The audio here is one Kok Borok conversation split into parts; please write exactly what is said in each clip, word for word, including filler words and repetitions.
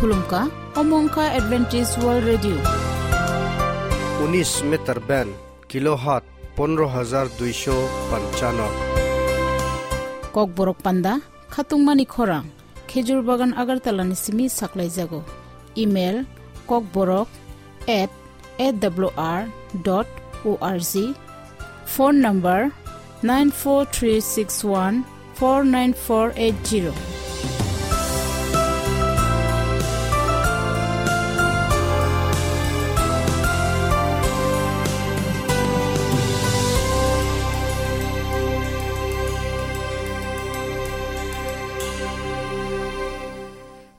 Khulumkha, omo wngkha Adventist World Radio. Unis meter band, kilohertz pondro hajar duisho panchano. Kokborok panda, khatungmani khorang, Khejur Bagan Agartala ni simi saklaijago. Email, kokborok at A W R dot O R G. Phone number, nine four three six one four nine four eight zero.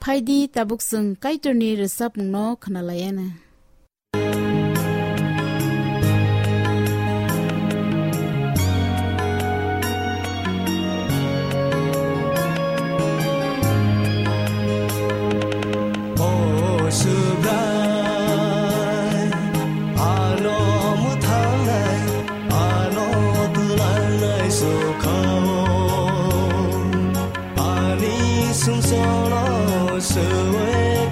Phaidi tabuk chwng Kaitorni rwchapmungno khwnalaiana. O Subrai, ano mwthangnai, ano twlangnai sukha-o. Ani sumsokno swi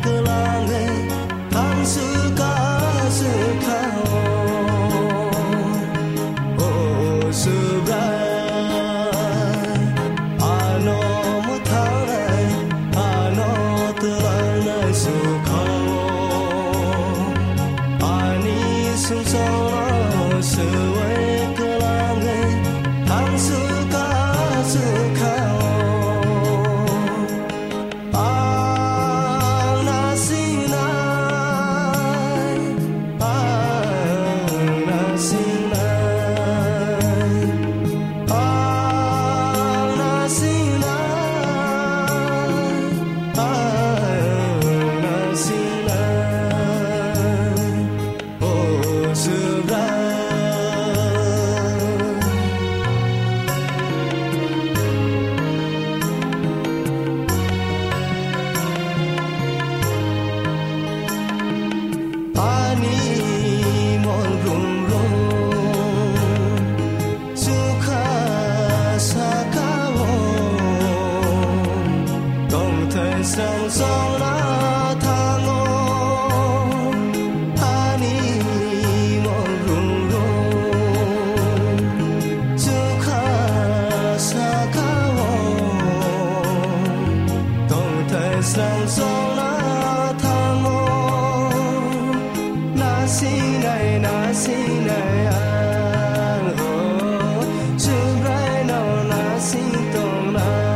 kwlangwi thangswk ka swkha-o. O Subrai, ano mwthangnai, ano twlangnai sukha-o. Ani sumsokno swi kwlangwi thangswk ka swkha-o. Ang nasingnai, ang nasingnai, ang nasingnai, ang nasingnai. O Subrai, ani mol rung rung. Sukha saka-o tongthai song song na thango, ani mol rung rung. Sukha saka-o tongthai song song na thango. Nasingnai, nasingnai ang ho, Subraino nasing tongnai.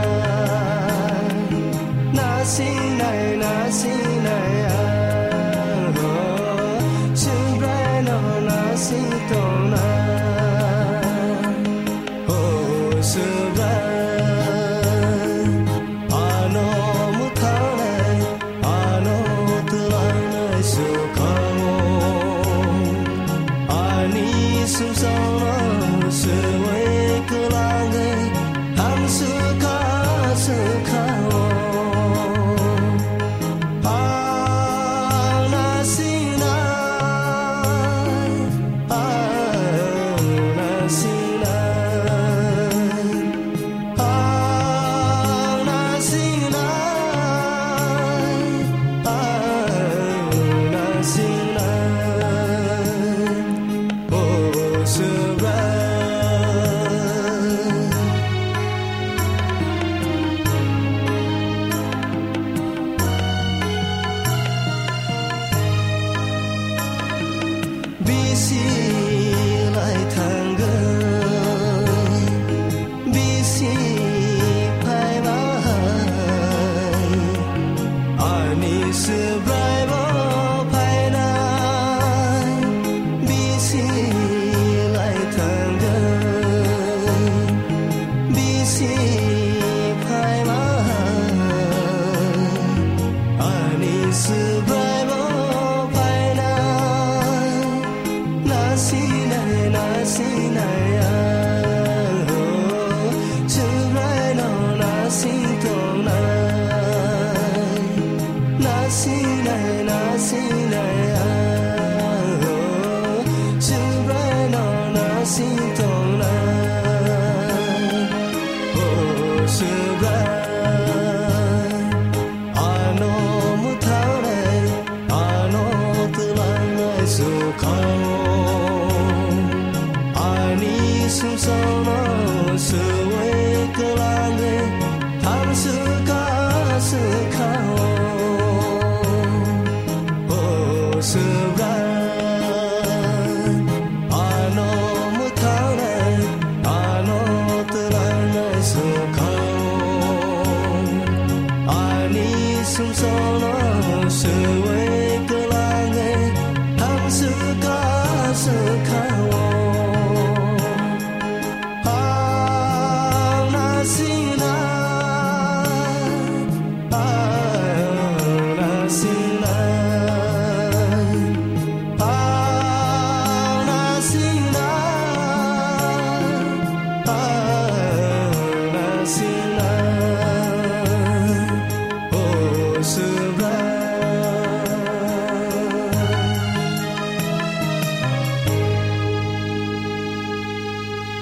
Nasingnai, nasingnai ang ho, Subraino nasing tongnai. O Subrai, ano mwthangnai, ano twlangnai sukha-o. Ani sumsokno swi kwlangwi thangswk ka swkha-o. Ang nasingnai, ang nasingnai, ang nasingnai, ang nasingnai. O Subrai, bisi lai thangwi, bisi phaibai, ani Subrai bo phainai, bisi lai thangwi, bisi phaibai, ani Subrai bo phainai. Nasingnai, nasingnai ang ho, Subraino nasing tongnai. Nasingnai, nasingnai ang ho, Subraino nasing tongnai. O Subrai, ano mwthang Sumsokno swi kwlangwi thamswkha swkha-o. O Swbra, ano mwthangnai, ano twlangnai swkha-o. Ani sumsokno swi kwlangwi thamswkha swkha-o. Ang nasinai, ang nasinai, ang nasinai, ang nasinai, o Swbra.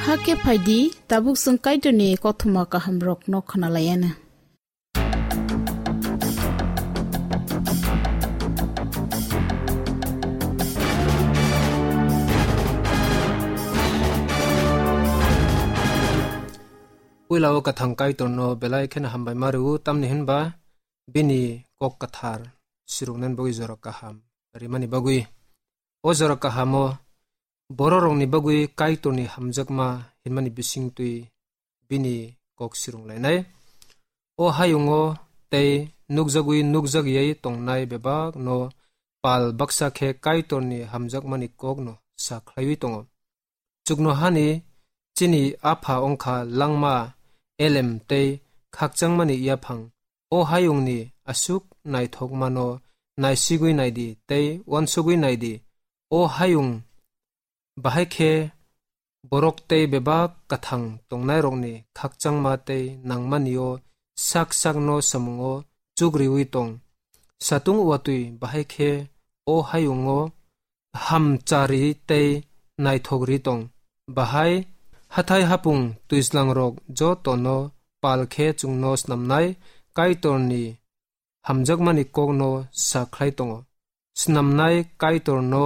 Hakhe phaidi, tabuk chwng Kaitorni kothoma kahamrokno khwnalaianw. Puila o kwthang Kaitorno belai kheno hambaima rw-o, tamni hwnba bini kok kwthar siroknani bagwi jora kaham rimani bagwi. O jora kahamo bororokni bagwi Kaitorni hamjakma hinmani bisingtwi bini kok sirung lainai. O hayungo tei nukjagwi nukjagwi tongnai bebakno pal baksa khe Kaitorni hamjakmani kokno sa khlaiwi tongo. Chuknohani chini apha wngkha langma, elem tei khakchangmani yaphang. O hayungni aswk naithokmano naisigwi naidi tei uansugwi naidi. O hayung bahai khe borok tei bebak kwthang tongnairokni khakchangma tei nangmani-o sak sakno samungo chukriwi tong. Satung watwi bahai khe o hayungo hamchari tei naithokri tong. Bahai hathai hapung twijlangrok jotono pal khe chwngno snamnai Kaitorni hamjakmani kokno sa khlai tongo. Snamnai Kaitorno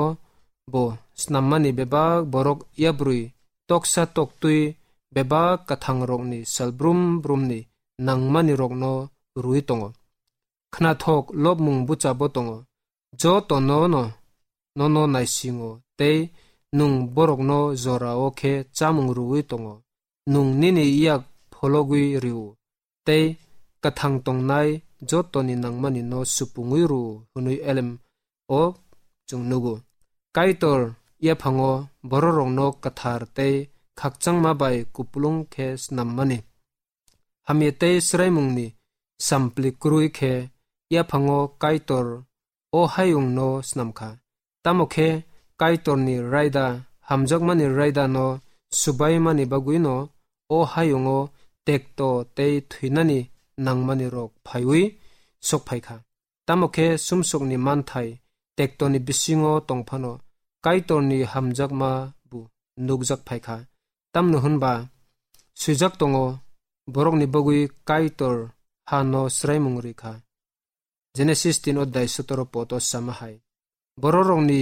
bo snammani bebak borok yabrwi toksa toktwi bebak kwthangrokni sal brum brumni nangmanirokno rwui tongo. Khnathok lobmung buchabo tongo. Jotono no, nono naisingo tei nwng borokno jorao khe chamung rwui tongo. Nwng nini yak phologwi rw-o tei kwthang tongnai jotoni nangmani no supungwi rw-o hwnwi elem o chwng nugo. Kaitor yaphango bororokno kwthar tei khakchangma bai kupulung khe snammani. Hamya tei swraimungni sampli kwrwi khe yaphango Kaitor o hayungno snam kha. Tamo khe Kaitorni raida, hamjakmani raidano subaimani bagwino o hayungo tekto tei thwinani nangmanirok phaiwi sok phai kha. Tamo khe sumsokni manthai tektoni bisingo tong phano Kaitorni hamjakma bo nukjak phai kha. Tamno hwnba swijak tongo, borokni bagwi Kaitor hano swraimung rwi kha. Genesis tin odhyay sotoro pod o sama hai. Bororokni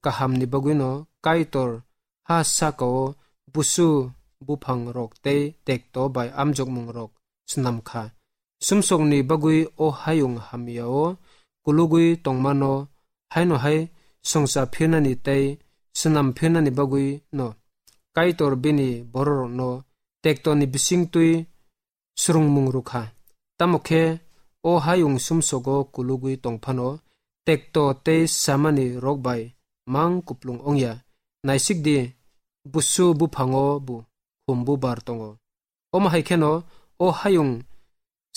kahamni bagwino Kaitor ha sakao busu buphangrok tei tekto bai amjokmungrok snam kha. Sumsokni bagwi o hayung hamyao kulugwi tongmano haino hai songcha phirnani tei snam phirnani bagwino Kaitor bini bororokno tektoni bisingtwi swrwngmung rw kha. Tamo khe o hayung sumsogo kulugwi tong phano tekto tei samani rok bai mang kuplung wng ya. Naisik di, busu buphango bo khum bubar tongo. Omo hai kheno o hayung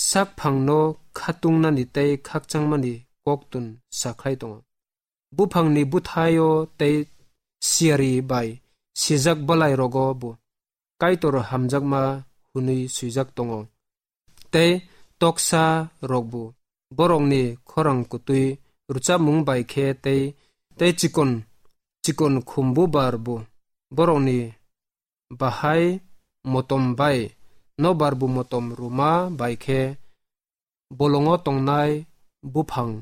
sak phangno khatungnani tei khakchangmani koktun sa khlai tongo. Buphangni bwthaio tei siyari bai sijak bwlairogo bo Kaitor hamjakma hwnwi swijak tongo. Tei toksa rokbo borokni khorang kwtwi rwchapmung bai khe tei, tei chikon, chikon khum bubar bo borokni bahai motom bai nokbar bo motom rwma bai khe bolongo tongnai buphang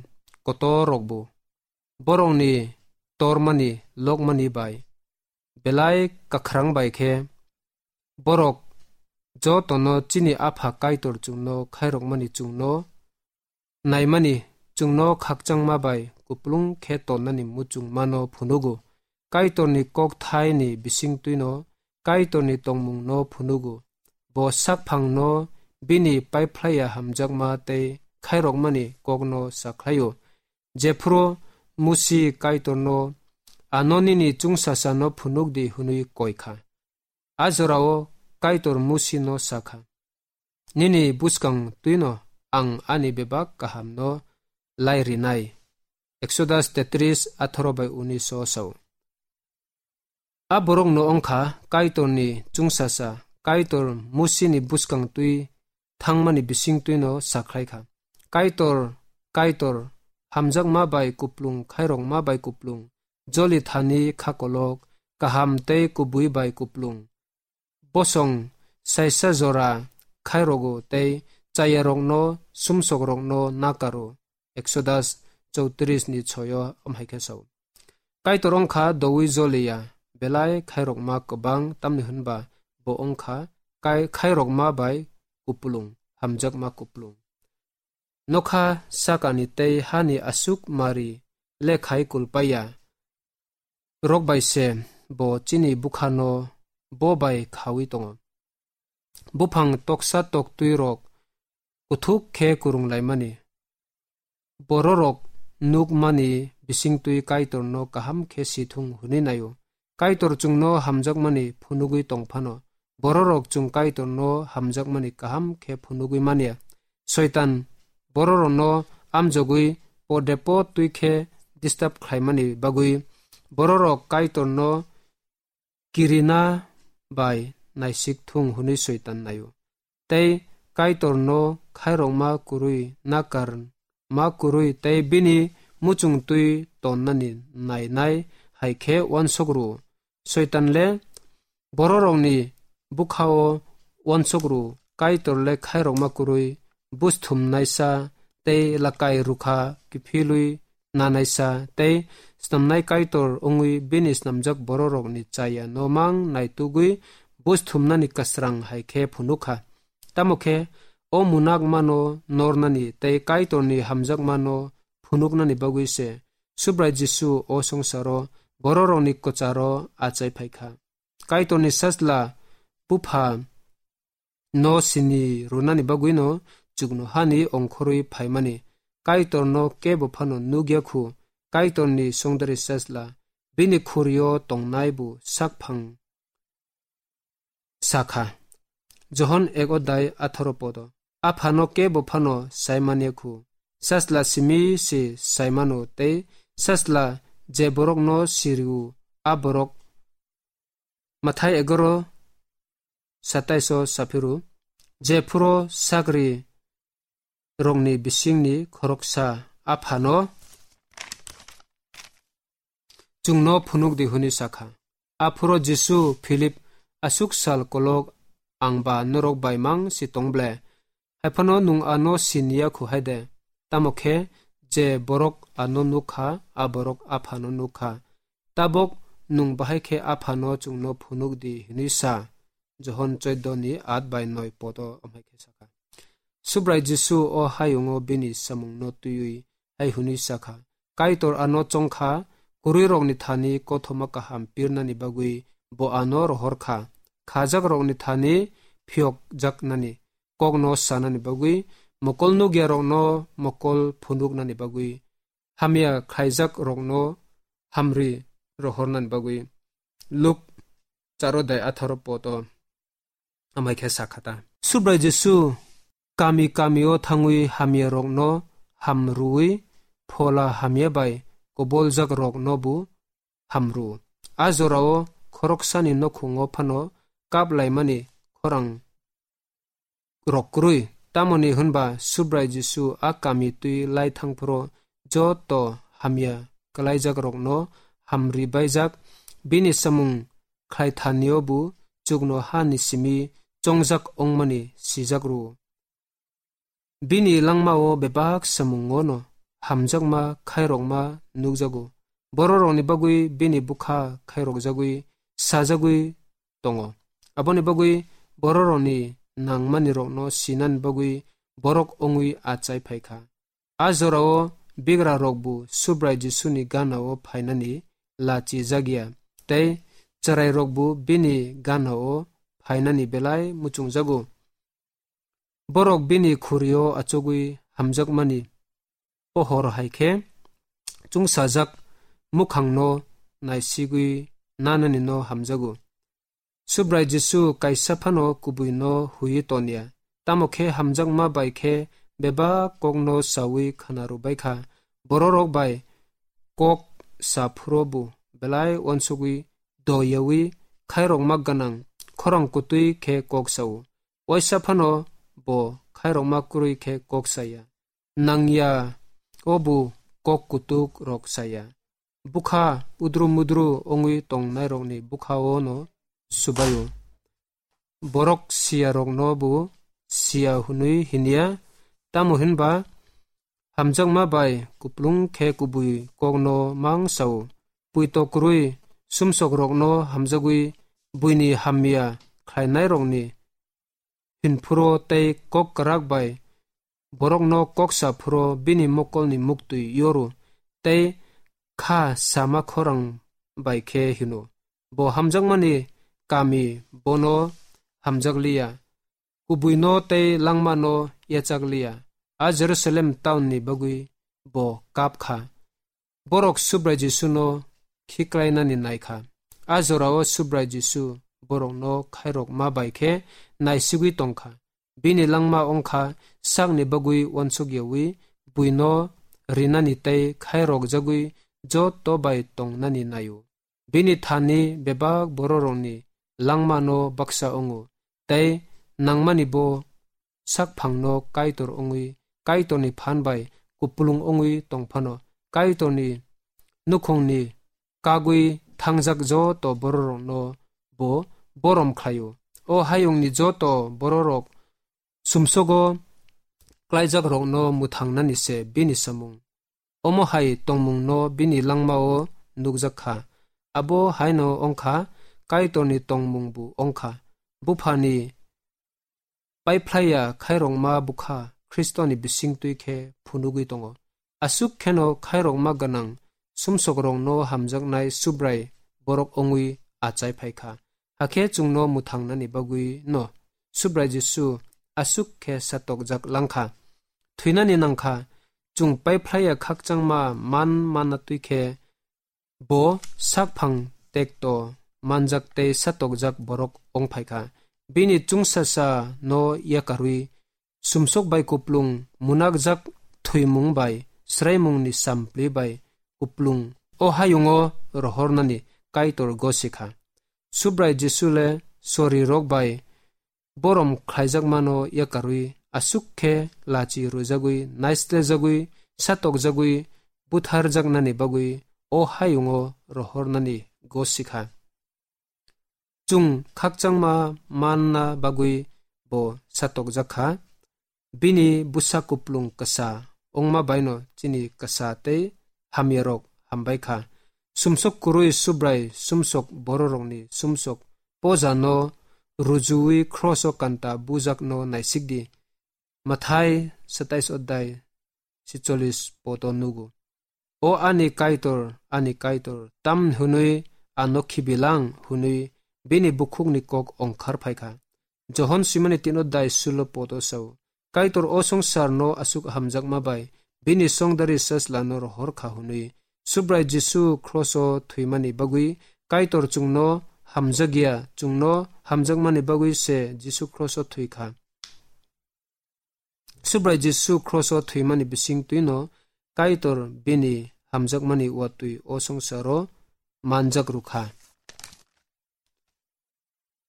kotor rokbo borokni tormani lokmani bai belai kwkhrang bai khe Borok jotono chini Apha Kaitor chwngno khairokmani chwngno naimani, chwngno khakchangma bai kuplung khe tonnani muchungmano phunugo. Kaitorni kokthaini bisingtwino Kaitorni tongmungno phunugo. Bo sakphangno bini paiphlaiya hamjakma tei khairokmani kokno sakhlaio. Jephuru Musi Kaitorno, "Ano nini chwngsasano phunukdi," hwnwi koi kha. A jorao Kaitor Musino sa kha, "Nini bwskang twino ang ani bebak kahamno lai rinai." Exodus tetris, atharo bai unis o sao. A borokno wngkha Kaitorni chwngsasa, Kaitor Musini bwskang twi thangmani bising twino sakhlai kha, "Kaitor, Kaitor, hamjakma bai kuplung, khairokma bai kuplung, joli thani kha kolok, kaham tei kubui bai kuplung, bosong saisa jora khairogo tei chayarokno, sumsokrokno nakaro." Exodus chowtris ni choi o amhai khe sao. Kaitor wngkha doui joliya, belai khairokma kwbang, tamni hwnba bo wngkha kai-, khairokma bai kuplung, hamjakma kuplung. Nokha sakani tei hani aswk mari le khai kulpaiya rok bai se bo chini bukhano bo bai khaui tongo. Buphang toksa toktwi rok kuthuk khe kwrwng laimani. Bororok nukmani bisingtwi Kaitorno kaham khe si thung hwnwi naio. Kaitor chwngno hamjakmani phunugwi tong phano, bororok chwng Kaitorno hamjakmani kaham khe phunugwi manya. Soitan bororokno amjogwi pode po twi khe disturb khlaimani bagwi bororok Kaitorno kirina bai naisik thung hwnwi Soitan naio. Tei Kaitorno khairokma kwrwi, nakar ma kwrwi tei bini muchungtwi tonnani nainai hai khe uansuk rw-o. Soitan le bororokni bwkha-o uansuk rw-o, Kaitor le khairokma kwrwi, busthumnaisa tei lakai rwkha kiphilwi nanaisa tei snamnai Kaitor wngwi bini snamjak bororokni chaya no mang naitugwi busthumnani kwsrang hai khe phunuk kha. Tamo khe o munakmano nornani tei Kaitorni hamjakmano phunuknani bagwi se Subrai Jisu o swngsaro bororokni kwcharo achai phai kha. Kaitorni Sajla Bupha no sini rwnani bagwino chuknohani ongkhorwi phaimani. Kaitorno kebo phano nukya khu, Kaitorni songdari Sajla bini khurio tongnai bo sakphang sakha. Johon ek odai atharo podo. Aphano kebo phano saimanya khu, Sajla simi se saimano tei Sajla je borokno siriu a borok. Mathai egaro satais o saphiru, je phuro sakri rokni bisingni khoroksa Aphano chwngno phunuk di hwnwi sakha. Aphuro Jisu Philip, "Aswk sal kolok ang ba norok bai mang si tong ble? Hai phano nwng ano siniya khu hai de? Tamo khe je borok ano nuk kha, a borok Aphano nuk kha. Tabok nwng bahai khe Aphano chwngno phunuk di," hwnwi sa. Johon chwddo ni at bai noi podo amhai khe sakha. Subrai Jisu o hayungo bini samungno twiwi hai hwnwi sakha, "Kaitor ano chongkha, kwrwirokni thani kothoma kaham pirnani bagwi bo ano rohor kha, khajakrokni thani phiyokjaknani, kokno sanani bagwi, mokol nukyarokno mokol phunuknani bagwi, hamya khlaijakrokno hamri rohornani bagwi." Luk charo dai atharo poto amai khe sakha ta. Subrai Jisu kami kami o thangwi hamya rokno hamrwi, phola hamya bai koboljak rokno bo hamru. A jorao khoroksani nokhungo phano kap laimani khorang rok kwrwi. Tamoni hwnba Subrai Jisu a kami twi lai thangphuru joto hamya kwlaijak rokno hamri baijak, bini samung khlai thani o bo chukno ha ni simi chongjak ongmani sijak rw-o. Bini langma o bebak samung o no hamjakma khairokma nukjago. Bororokni bagwi bini bwkha khairokjagwi sajagwi tongo. Aboni bagwi bororokni nangmanirokno sinani bagwi borok wngwi achai phai kha. A jorao bigrarokbo Subrai Jisuni ganao phainani lachi jakya, tei chwrairokbo bini ganao phainani belai muchungjago. Borok bini khurio achugwi hamjakmani pohor hai khe chwngsajak mukhangno naisigwi nananino hamjago. Subrai Jisu kaisa phano kubuino huiwi tonya, tamo khe hamjakma bai khe bebak kokno saui khna rwbai kha. Bororok bai kok sa phuru bo belai uansugwi doyaui khairokma gwnang khorang kutui khe kok sao. Waisa phano bo khairokma kwrwi khe kok saya. Nangya o bo kok kutuk rok saya. Bwkha udru mudru wngwi tongnairokni bwkhao no subaio. Borok siyarokno bo siya hwnwi hinya, tamo hinba hamjakma bai kuplung khe kubui kokno mang sao. Puito kwrwi sumsokrokno hamjagwi buini hamya khlainairokni hinphuro tei kok kwrak bai borokno kok sa phuro bini mokolni muktwi yoru tei kha sama khorang bai khe hino, "Bo hamjakmani kami, bono hamjakliya, kubuino tei langmano yachakliya, a Jerusalem taunni bagwi bo kap kha." Borok Subrai Jisuno khiklainani nai kha. A jorao Subrai Jisu borokno khairokma bai khe naisigwi tong kha. Bini langma wng kha sakni bagwi uansukyaui buino rinani tei khairokjagwi joto bai tongnani naio. Bini thani bebak bororokni langmano baksa wngo, tei nangmani bo sakphangno Kaitor wngwi, Kaitorni phan bai kupulung wngwi tong phano, Kaitorni nukhungni kagwi thangjak joto bororokno bo borom khlaio. O hayungni joto bororok sumsogo klaijakrokno mwthangnani se bini samung. Omo hai tongmungno bini langmao nukjak kha. Abo haino wng kha, Kaitorni tongmungbo wng kha. Buphani paiphlaiya khairokma bwkha Khristoni bisingtwi khe phunugwi tongo. Aswk kheno khairokma gwnang sumsokrokno hamjaknai Subrai borok wngwi achai phai kha. Hakhe chwngno mwthangnani bagwino Subrai Jisu aswk khe satokjak lang kha. Thwinani nang kha, chwng paiphlaiya khakchangma man manna twi khe bo sakphang tekto manjak tei satokjak borok wng phai kha. Bini chwngsasano yakarwi sumsok bai kuplung, munakjak thwimung bai, swraimungni sampli bai kuplung, o hayungo rohornani Kaitor gosi kha. Subrai Jisu le sorirok bai borom khlaijakmano yakarwi aswk khe lachi rwjagwi, naislejagwi, satokjagwi, butharjaknani bagwi o hayungo rohornani gosi kha. Chwng khakchangma manna bagwi bo satokjak kha. Bini bwsa kuplung kwsa wngma baino chini kwsa tei hamyarok hambai kha. Sumsok kwrwi Subrai sumsok bororokni sumsok pojano rujuwi khroso kanta bujakno naisikdi. Mathai satais odai sicholis poto nugo. "O ani Kaitor, ani Kaitor, tamni hwnwi ano khibilang?" hwnwi bini bukhukni kok ongkhar phai kha. Johon simani tino dai sulo poto sao, Kaitor o songsarno aswk hamjakma bai bini songdari sajlano rohor kha hwnwi. Subrai Jisu khroso thwimani bagwi Kaitor chwngno hamjakya, chwngno hamjakmani bagwi se Jisu khroso thwi kha. Subrai Jisu khroso thwimani bising twino Kaitor bini hamjakmani watwi o songsaro manjak rwkha.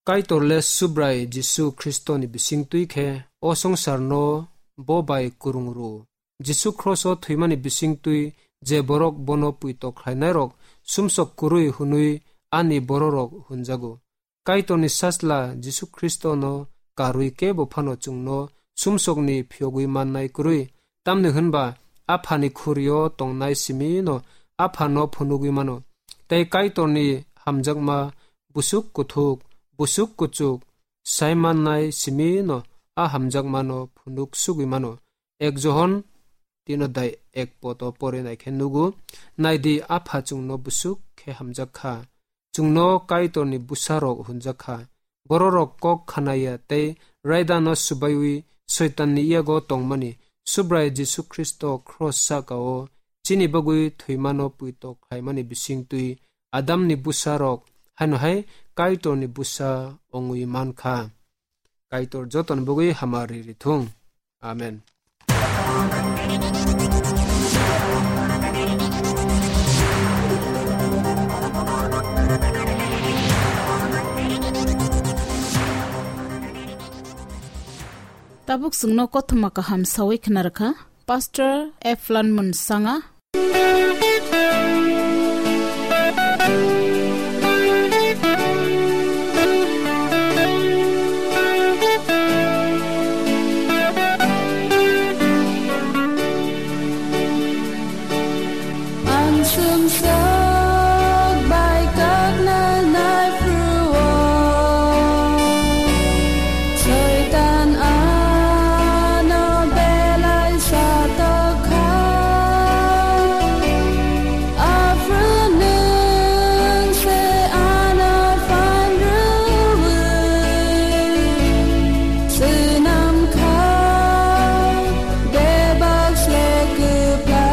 Kaitor le Subrai Jisu Khristoni bising twi khe o songsarno bo bai kwrwng rw. Jisu khroso thwimani bising twi je borok bono puito khlainairok sumsok kwrwi hwnwi ani bororok hwnjago. Kaitorni Sajla Jisu Khristono karwi kebo phano chwngno sumsokni phiyogwi mannai kwrwi, tamni hwnba Aphani khurio tongnai simino Aphano phunugwi mano, tei Kaitorni hamjakma busuk kuthuk busuk kuchuk sai mannai simi no a hamjakmano phunuk sugwi mano. Ek Johon tino dai ek poto pore naikhe nugo, naidi, Apha chwngno busuk khe hamjak kha, chwngno Kaitorni bwsarok hwnjak kha. Bororok kok khanaya tei raidano swbaiwi Soitanni yago tongmani, Subrai Jisu Khristo khros saka-o chini bagwi thwimano puito khlaimani bisingtwi Adamni bwsarok haino hai Kaitorni bwsa wngwi man kha. Kaitor jotoni bagwi hamari rithung. Amen. Tabuk chwngno kothoma kaham sawi khna rwkha Pastor Eflan Munsanga. Ang sumsok bai kakna nai pruo. Soitan ano belai satokha. Aphru nwng se ano phanrwi swnam kha. Bebak se kwplai.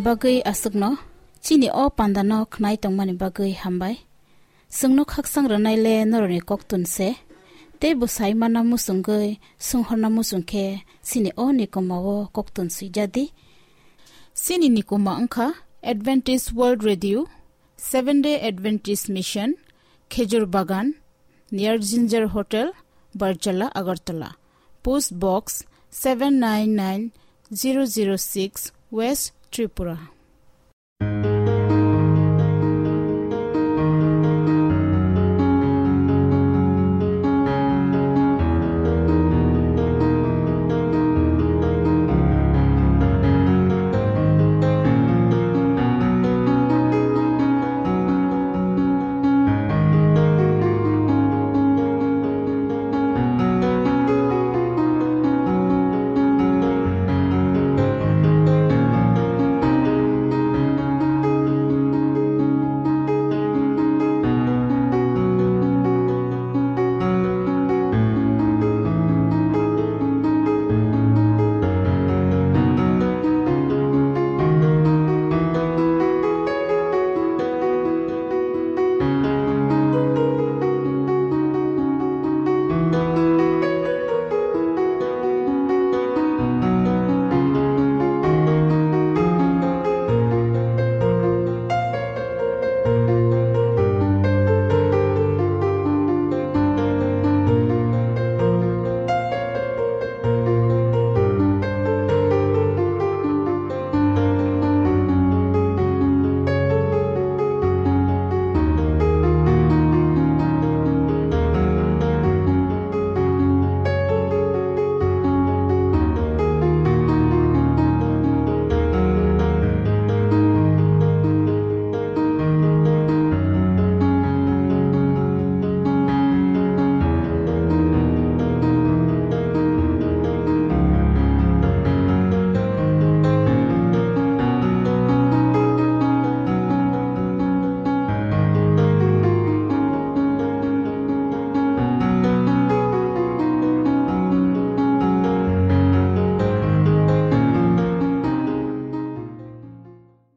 Bagwi aswkno chini o pandano khnai tongmani bagwi hambai. Chwngno khaksang rwnaile norokni koktun se. Tei bwsai mana muchungwi swnghorna muchung khe chini o nikomao koktun swijadi. Chini nikoma wngkha Adventist World Radio, Seven Day Adventist Mission, Khejur Bagan, near Ginger Hotel, Barjala, Agartala. Post Box seven nine nine zero zero six, West Tripura.